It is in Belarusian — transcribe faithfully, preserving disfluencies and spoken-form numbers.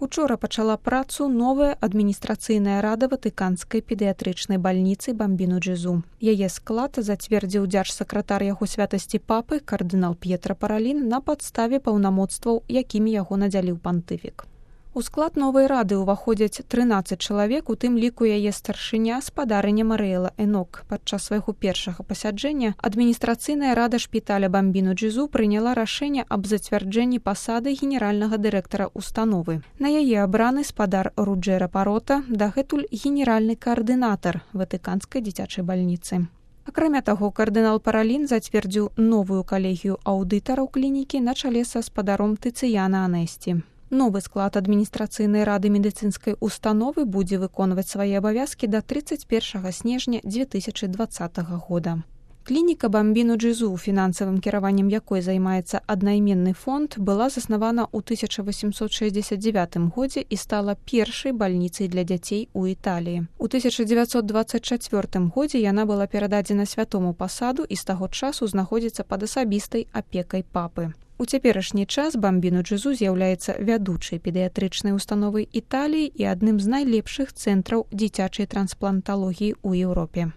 Учора пачала працу новая адміністрацыйная рада ватыканскай педыятрычнай бальніцы Бамбіну Джезу. Яе склад зацвердзіў дзяржсакратар яго святасці папы кардынал П'етра Паралін на падставе паўнамоцтваў, якімі яго надзяліў пантыфік. У склад новай рады ўваходзяць трынаццаць чалавек, у тым ліку яе старшыня спадарыня Марыэла Энок. Падчас свайго першага пасяджэння адміністрацыйная рада шпіталя Бамбіну Джезу прыняла рашэнне аб зацвярджэнні пасады генеральнага дырэктара установы. На яе абраны спадар Руджэра Парота, дагэтуль генеральны каардынатар ватыканскай дзіцячай бальніцы. Акрамя таго, кардынал Паралін зацвердзіў новую калегію аўдытараў клінікі на чале са спадаром Тыцыяна Анесці. Новы склад адміністрацыйнай рады медыцынскай установы будзе выконваць свае абавязкі да трыццаць першага снежня дзве тысячы дваццатага года. Клініка Бамбіну Джезу, фінансавым кіраваннем якой займаецца аднайменны фонд, была заснавана ў тысяча васемсот шэсцьдзесят дзевятым годзе і стала першай бальніцай для дзяцей у Італіі. У тысяча дзевяцьсот дваццаць чацвёртым годзе яна была перададзена святому пасаду і з таго часу знаходзіцца пад асабістай апекай папы. У цяперашні час Бамбіну Джезу з'яўляецца вядучай педыятрычнай установай Італіі і адным з найлепшых цэнтраў дзіцячай транспланталогіі ў Еўропе.